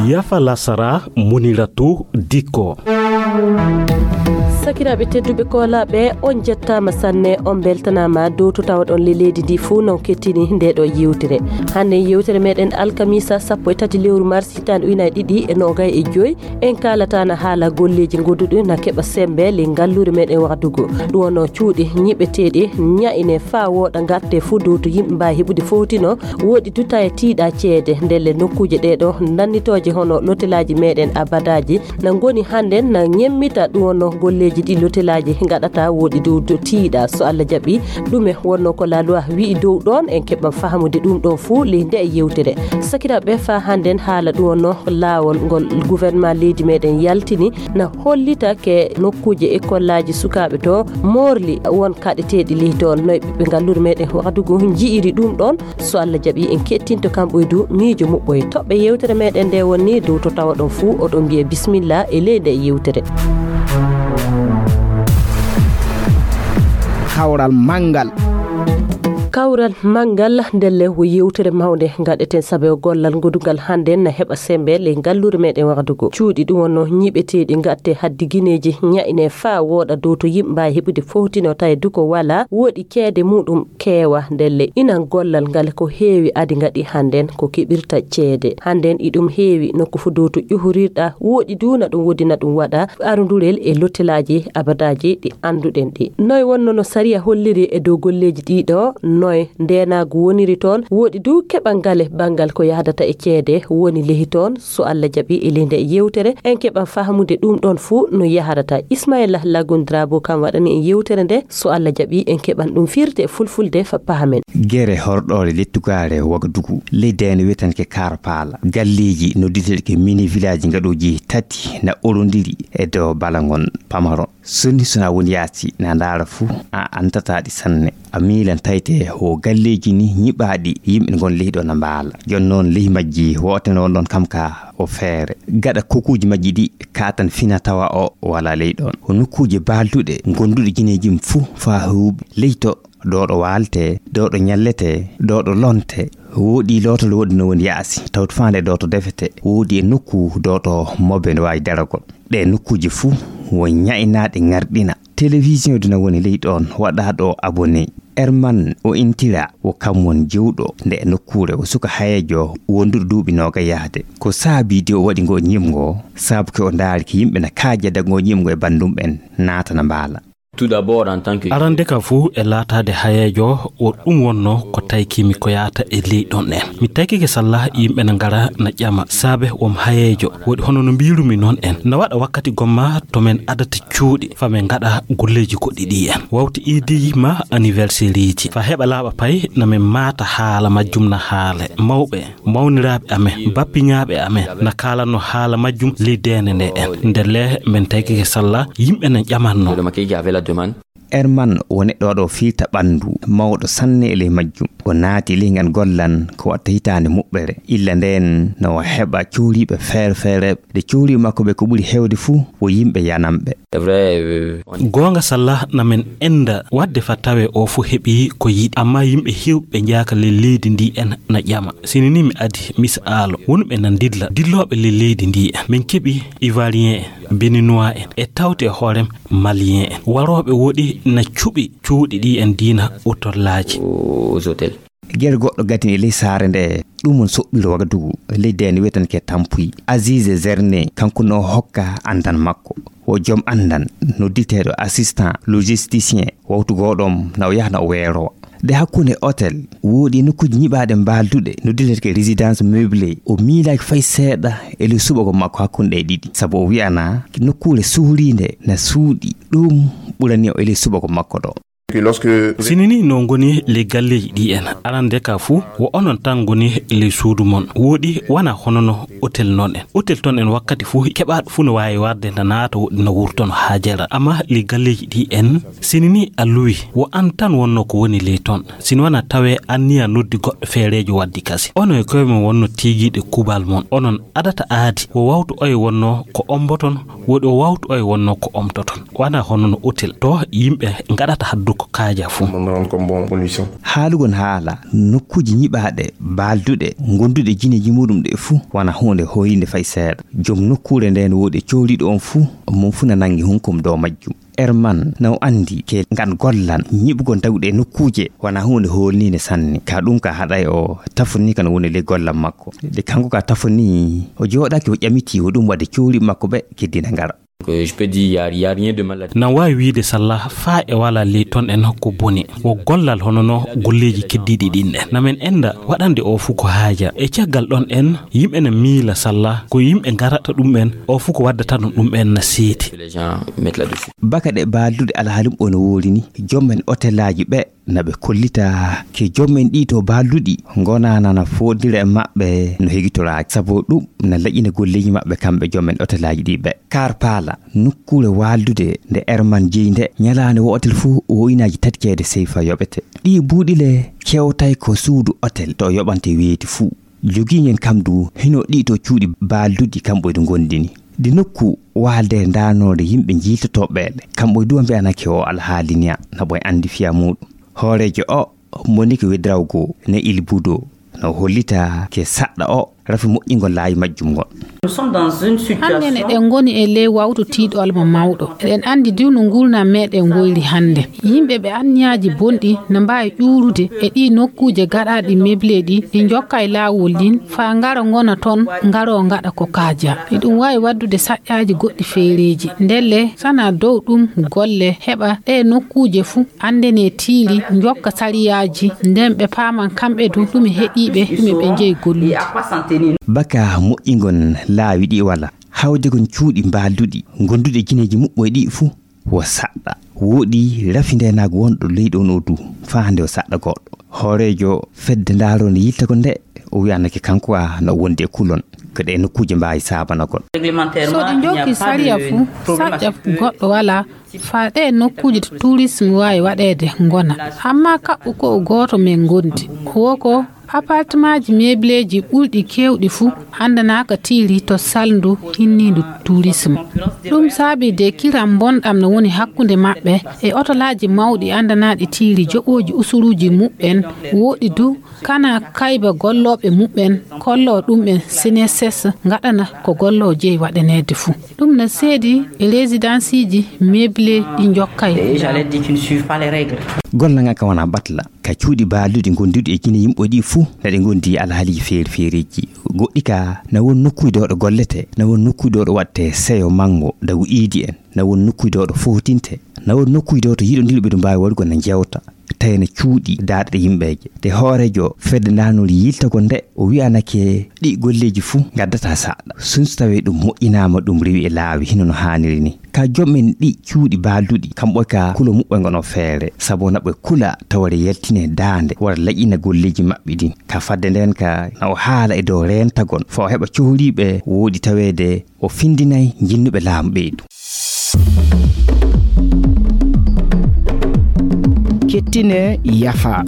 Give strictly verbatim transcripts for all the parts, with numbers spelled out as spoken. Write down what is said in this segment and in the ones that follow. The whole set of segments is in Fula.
Yafa lasara, Muniratu Dikko. Sakiraaɓe tedduɓe koolaaɓe, on jettaama sanne, on mbeltanaama dow to tawaɗon le leydi ndi fuu non kettini nde ɗo yewtere. Hannde yewtere meɗen alkamisa sappo e tati lewru mars hitaande ujunaaji ɗiɗi e noogay e joy. En kaalataana haala golleeji goduɗi na keɓa sembe le ngalluure meɗen wahdugo. Ɗum wonno cuuɗi nyiɓeteeɗi nyaine faa wooɗa ngatte fuu dow to yimɓe mbaawi heɓude fowtino. Woɗi du taye tiiɗa ceede ndelle nokkuuje ɗee ɗo nannitooje hono lotelaaji meɗen abadaaji na ngoni hannde na nyemmita. Ɗum wonno golleeji ɗi lotelaaji ngaɗata woɗi dow to tiiɗa. So Allah jaɓi, ɗume wonno ko la loi wi'i dow ɗoon? En keɓan fahamude ɗum ɗoon fuu ley nde e yewtere. Sakiraaɓe, faa hannden haala ɗum wonno laawol ngol gouvernement leydi meɗen yaltini na hollita ke nokkuuje ekkollaaji sukaaɓe to moorli won kaɗeteeɗi ley toon. Noye ɓiɓɓe ngalluure meɗen wahdugo nji'iri ɗum ɗoon? So Allah jaɓi, en kettinto kam ɓoydu miijo muɓɓoye. Toɓɓe yewtere meɗen nde woni dow to tawaɗon fuu, oɗon mbiye bismillah e ley nde yewtere. Kawral manngal. Kawral manngal ndelle wo yewtere mawnde ngaɗeten sabe o gollal ngodungal hannde na heɓa sembe ley ngalluure meɗen wahdugo. Cuuɗi ɗum wonno nyiɓeteeɗi ngatte haddi gineeji nyaine faa wooɗa dow to yimɓe mbaawi heɓude fowtino tawi du ko wala woɗi ceede muɗum keewa ndelle. Inan gollal ngal ko heewi adi ngaɗi hannden ko keɓirta ceede. Hannden iɗum heewi nokku fuu dow to ƴuhurirɗa woɗi du na ɗum woodi na ɗum waɗa arundurel e lottelaaji abadaaji ɗi annduɗen ɗi. Noye wonno no sariya holliri e dow golleeji ɗiɗo? Noye ndeenaagu woniri toon? Woɗi du keɓa ngale banngal ko yahdata e ceede woni lehi toon? So Allah jaɓi e ley nde yewtere en keɓan fahamude ɗum ɗoon fuu no yaharata. Ismaila Lagun Drabo kam waɗani en yewtere nde. So Allah jaɓi en keɓan ɗum firde e fulfulde fa pahamen. Gere horɗoore lettugaare Wagadugu, ley deene wiyetenke Karpala. Galleeji nodditeeɗi ke mini village ngaɗooji tati na orondiri e dow balangon pamaron. Sonni sona woni yaasi na ndaara fuu a antataa ɗi sanne. A miilan tayte wo galleeji ni nyiɓaaɗi yimɓe ngon ley ɗo na mbaala. Jon noon ley majji woote noon ɗon kam ka o feere. Gaɗa kokuuji majji ɗi kaatan fina tawa o wala ley ɗon. Ko nokkuuje baalduɗe gonduɗe gineeji mum fuu faa huuɓi. Ley to ɗo ɗo waalte, ɗo ɗo nyallete, ɗo ɗo lonte. Woodi lootol woodi no woni yaasi. Tawto faande ɗo to defete. Woodi e nokku ɗo ɗo mobe no waawi daragol. Ɗe nokkuuje fuu wo nyaynaaɗe ngarɗina. Télévision dina woni ley ɗon waɗa ɗo abonné. Herman o intira wo kam won jewɗo nde e nokkuure o suka hayeejo wonduɗo duuɓi nooga yahde. Ko saabi de o waɗi ngo ñimgo, saabu ke o ndaari ke yimɓe na kaajada ngo ñimgo e bandum ɓen naatana mbaala. Tout d'abord, en tant que arande ka fuu e laataade hayeejo, o ɗum wonno ko taykimi ko yaata e ley ɗon en. Mi taykike salla yimɓe na ngara na ƴama saabe wom hayeejo. Woɗi hono no mbiirumi noon en. Na waɗa wakkati gomma to men adata cuuɗi fa men ngaɗa golleeji goɗɗi ɗi en. Wawti iidiji ma anniversaire iji. Fa heɓa laaɓa pay na men maata haala majjum na haale. Mawɓe, mawniraaɓe amen, bappiñaaɓe amen na kaalanno haala majjum ley deene nde en. Ndelle men taykike salla yimɓe na ƴamanno. Herman o neɗɗo waɗo fiita ɓanndu mawɗo sanne e ley majjum. O naati ley ngan gollan ko watta hitaande muɓɓere. Illa ndeen no o heɓa cooriiɓe feere feere. Nde cooriiɓe makko ɓe ko ɓuri heewde fuu wo yimɓe yanamɓe. Goonga salla na men enda waɗde fa tawe o fuu heɓi ko yiɗi. Amma yimɓe heewɓe njaaka ley leydi ndi en na ƴama. Sini ni mi adi misa aalo. Wonɓe na ndilla. Dillooɓe ley leydi ndi en. Min keɓi Ivoirien en, Béninois en, e tawti e hoorem Malien en. Warooɓe woɗi na cuɓi cuuɗi ɗi en diina otollaaji. Gere goɗɗo gadini e ley saare nde ɗum on soɓɓiro Wagadugu ley deene wiyetenke Tampuy. Azize Zerne kanko no hokka andan makko. Wo joom andan nodditeeɗo assistant logisticien wawtu goɗom na o yahna o weerowa. Nde hakkunde hôtel woodi nokkuuji nyiɓaaɗe mbaalduɗe nodditeeɗe résidence meublée. O miilaaki fay seeɗa e ley suɓagol makko hakkunde ɗe ɗiɗi. Sabu o wi'ana nokkuure suhriinde na suuɗi. Ɗum ɓurani o e ley suɓagol makko ɗo. Sini ni no ngoni ley galleeji ɗi en arande ka fuu, wo onon tan ngoni ley suudu mon. Wooɗi wana hono no otel noon en. Otel toon en wakkati fuu keɓaaɗo fuu no waawi warde na naata woɗɗi na wurtono haajara. Amma ley galleeji ɗi en, sini ni a luwi, wo an tan wonno ko woni ley toon. Sini wana tawe anniya noddi goɗɗo feereejo waddi kasi. Onon e koye mon wonno tiigiiɗe kubal mon. Onon adata aadi, wo wawtu oye wonno ko omboton, woɗi o wawtu oye wonno ko omtoton. Wana hono no otel to yimɓe ngaɗata haddu ko kaaja fuu. Haalugol haala nokkuuji nyiɓaaɗe, baalduɗe, gonduɗe jineeji muɗum ɗe fuu, wana huunde hoyinde fay seeɗa. Joom nokkuure nde no woodi e cowliiɗo on fuu, mum fuu na nangi hunkum dow majjum. Erman na o anndi ke ngan gollan nyiɓugol dawɗe nokkuuje wana huunde hoolniinde sanne. Ka ɗum ka haɗay o tafoni ka no woni ley gollan makko. De kanko ka tafoni, o jooɗaaki o ƴamiti o ɗum waɗde cowli makko ɓe keddina ngara. Nan waawi wiide salla faa e wala ley ton en ko boni. Wo gollal hono no golleeji keddiiɗi ɗin en. Na men enda waɗande o fuu ko haaja. E caggal ɗon en, yimɓe na miila salla ko yimɓe ngarata ɗum en, o fuu ko waddata ɗum ɗum en na seedi. Baka ɗe baalduɗe alhaalum o no woori ni, joom en otelaaji ɓe na ɓe kollita ke joom en ɗi to baalduɗi ngonana na foodira e maɓɓe no hegitoraaki. Sabu ɗum na laƴina golleeji maɓɓe kamɓe joom en otelaaji ɗi ɓe. Kar paala, nokkuure waaldude nde Erman jeyi nde, ñalaande wootel fuu woyinaaji tati ceede seyfa yoɓete. Ɗi buuɗi le kewtay ko suudu otel to yoɓante weeti fuu. Jogii ngen kam du hino ɗi to cuuɗi baalduɗi kamɓe du ngondini. Ɗi nokku waalde ndaanoore yimɓe jiiltotooɓe ɓe. Kamɓe du mbiyanake o alhaali niya na ɓoy anndi fiya muuɗum. Hooreejo o moni ko wedrawgo ne ilbudo no hollita ke saɗɗa o rafi moƴƴingol laawi majjum ngon. Hannde ne ɗen ngoni e ley wawtu tiiɗo alma mawɗo. Eɗen anndi du no ngurnam meɗen woyri hannde. Yimɓe ɓe anniyaaji bonɗi na mbaawi ƴuurude e ɗi nokkuuje gaɗaaɗi meble ɗi, ɗi njokka e laawol ɗin, faa ngara ngona ton, ngaroo ngaɗa ko kaaja. Eɗum waawi waddude saƴƴaaji goɗɗi feereeji. Ndelle, sana dow ɗum golle, heɓa ɗe nokkuuje fuu anndene tiiri, njokka sariyaaji, nden ɓe paaman kamɓe du ɗume heɓiiɓe, ɗume ɓe njeyi gollude. Baka moƴƴingol laawi ɗi wala, hawde kon cuuɗi mbaalduɗi, gonduɗe jineeji muɓɓoy ɗi fuu. Wo saɗɗa. Wooɗi rafindeenaagu wonɗo leyɗo on o du, faa hannde o saɗɗa goɗɗo. Hooreejo fedde ndaaroo nde yiltagol nde, o wi'anake kanko a no wondi e kulon, ko ɗe nokkuuje mbaawi saabanagol. So ɗi njokki sariya fuu, saƴƴa goɗɗo walaa, faa ɗe nokkuuje to tourisme waawi waɗeede ngona. Amma kaɓɓu ko o gooto men ngondi. Wo ko Apartmaaji meebleeji ɓurɗi keewɗi fuu anndanaaka tiiri to salndu hinniindu turism. Ɗum saabii de kiram bonɗam no woni hakkunde maɓɓe e otolaaji mawɗi anndanaaɗi tiiri joɓooji usuruuji muɓɓen, woɗɗi du kana kayba gollooɓe muɓɓen, kolloo ɗum'en seneses ngaɗana ko golloo jeyi waɗaneede fuu. Ɗum na seedi e residansiiji meeblee ɗi njokkay. Gollal ngal kam wonaa batla. Ka cuuɗi baalduɗi gonduɗi e jine yimɓe ɗi fuu, na ɗi ngondi e alhaaliiji feeri feeriiji. Goɗɗi ka, na won nokkuuji ɗo ɗo gollete, na won nokkuuji ɗo ɗo waɗte seyo manngo, dagu iidi en, na won nokkuuji ɗo ɗo footinte, na won nokkuuji ɗo to yiɗondirɓe ɗo mbaawi waɗugol na jewta, tawi na cuuɗi daaɗe ɗe yimɓeeje. Te hooreejo fedde ndaanori yiltagol nde, o wi'anake ɗi golleeji fuu ngaddata saɗɗa. Sun so tawii ɗum moƴƴinaama, ɗum rewi e laawi hino no haaniri ni. Ka joom en ɗi cuuɗi baalduɗi, kamɓe ka kulo muɓɓe ngono feere, sabu na ɓe kula tawre yaltine daande, wara laƴina golleeji maɓɓe ɗin. Ka fadde nden ka, na o haala e dow reentagol, faa o heɓa cohliiɓe wooɗi taweede, o findinay jinnuɓe laamu ɓeydu. Kettine yafa.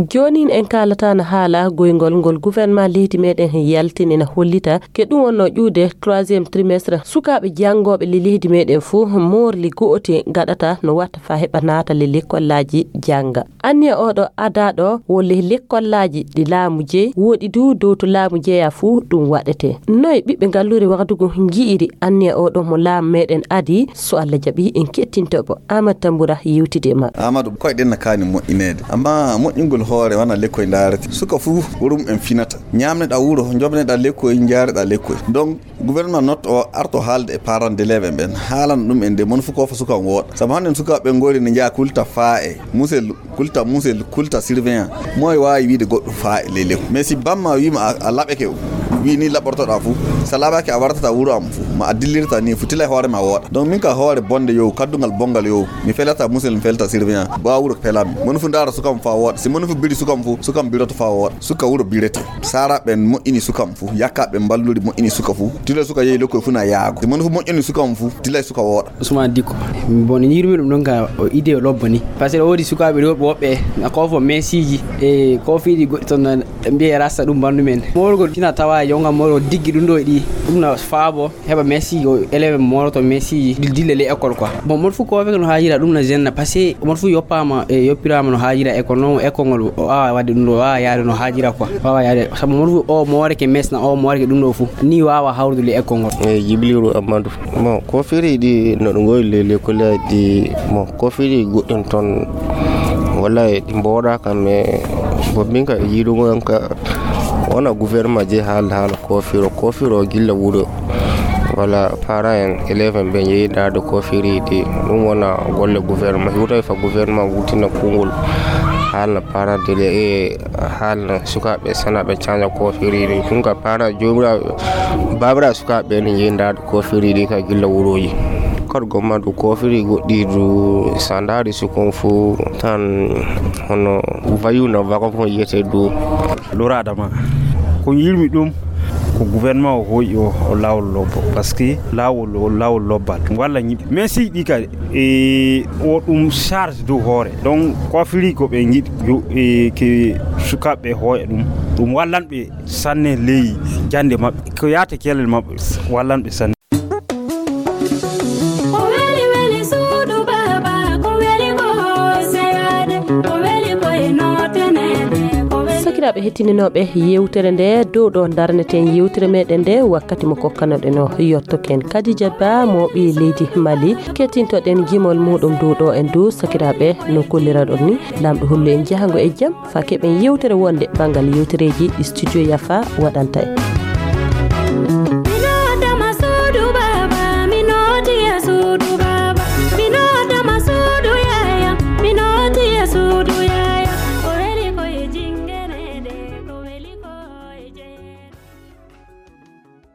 Joonin en kaalata no haala goyngol ngol gouvernement leydi meɗen yaltini na hollita ke ɗum wonno ƴuude troisième trimestre sukaaɓe janngooɓe le leydi meɗen fof moorli go'ote gaɗata no watta fa heɓa naata le lekkollaaji jannga. Anniya oɗo adaaɗo wo le lekkollaaji ɗi laamu jeyi woɗi du dow to laamu jeya fof ɗum waɗete. Noy ɓiɓɓe ngallure Wagadugu nji'iri anniya oɗo mo laamu meɗen adi so Allah jaɓi en kettintoɓo. Amadou Tambura yewtide e maɓɓe. Amadou, koyɗen na kaani moƴƴineede. Amma moƴƴingol hoore wana lekkoy ndaarete. Suka fuu ko ɗum en finata. Ñaamneɗaa wuro, njoɓneɗaa lekkoy, njaareɗaa lekkoy. Donc, gouvernement not o arto haalde e parents d'élèves en ɓen. Haalana ɗum en de mon fof ko fa suka on wooɗa. Sabu hannde sukaaɓe ɓe ngori ne njaha kulta faa e musel, kulta musel, kulta surveillant. Moy waawi wiide goɗɗo faa e ley lekkoy. Mais si bamma wiima a, a laɓeke o. Wi ni laɓɓortoɗa fu, sa laaɓaaki a wartata wuro am fu, ma a dillirta ni fu, tila e hoore ma wooɗa. Donc min ka hoore bonde yow, kaddungal bongal yow, mi felata musel, mi felata surveillant, ba wuro felam. Mon fu ndaara sukam fa wooɗa. Si mon fu biri sukam fu, sukam biroto fa wooɗa. Suka wuro birete. Sara ɓen moƴƴini sukam fu, yakka ɓen mballuri moƴƴini suka fu. Tila suka yehi lokkoy fu na yaago. Si mon fu moƴƴini sukam fu, tila suka wooɗa. Ousmane Dikko. Bon, yirmi ɗum ɗon ka o idée o lobba ni. Parce que o woodi sukaaɓe rewɓe woɓɓe na koofo mesiiji e koofiiji goɗɗi ton na mbiye rasta ɗum bandu men. Moorgol tina tawa jonga moorgol diggi ɗum ɗo e ɗi. Ɗum na faabo heɓa mesiiji o élève mooroto mesiiji dil- dille le école quoi. Bon, mon fu koofe no haajira ɗum na zenna parce que mon fu yoppama e yoppirama no haajira école non école ngol o awa wadde ɗum ɗo o awa yaade no haajira quoi. O awa yaade sabu mon fu o moore ke mesna o moore ke ɗum ɗo fu ni wawa hawrude le école ngol. E Jibiliru Amadou. Bon, koofiri ɗi no ɗum goyi le lekkolaaji ɗi. Bon, koofiri goɗɗin ton walla e ɗi mboɗa kam e bobbinka e yiɗugo yam ka wona gouvernement je haala haala koofiro koofiro gilla wuro walla parent en élève en ɓe yehi ndaade koofiri ɗi. Ɗum wona golle gouvernement hiwta fa gouvernement wurtina kungol haalna parent de e haalna sukaaɓe sana ɓe canja koofiri ɗi ɗum ka parent jomiraɓe babira sukaaɓe ne yehi ndaade koofiri ɗi ka gilla wuroji. Kadi gomma du koofiri goɗɗi du sa ndaari sukon fu tan hono vayu na vagabond yiyete du. Lora adama ko yirmi ɗum ko gouvernement o hoyi o o lawol lobbo parce que lawol o lawol lobbal walla ñiɓɓe mais si ɗi kadi e o ɗum charge dow hoore donc koofiri ko ɓe jiɗi yo e ke sukaaɓe hooya ɗum ɗum wallanɓe sanne ley jannde maɓɓe ko yaate kelel maɓɓe wallanɓe sanne. Ko weli weli suudu baaba ko weli ko seyade ko weli ko e notenede ko weli. Sakiraaɓe hettininooɓe yewtere nde dow ɗo darneten yewtere meɗen nde wakkati mo kokkanoɗen o yottoken kadija ba mo ɓi leydi mali kettintoɗen gimol muɗum dow ɗo en dow sakiraaɓe no kolliraɗon ni lamɗo hollu en jahango e jam fa keɓen yewtere wonde banngal yewtereji ɗi studio yafa waɗanta en.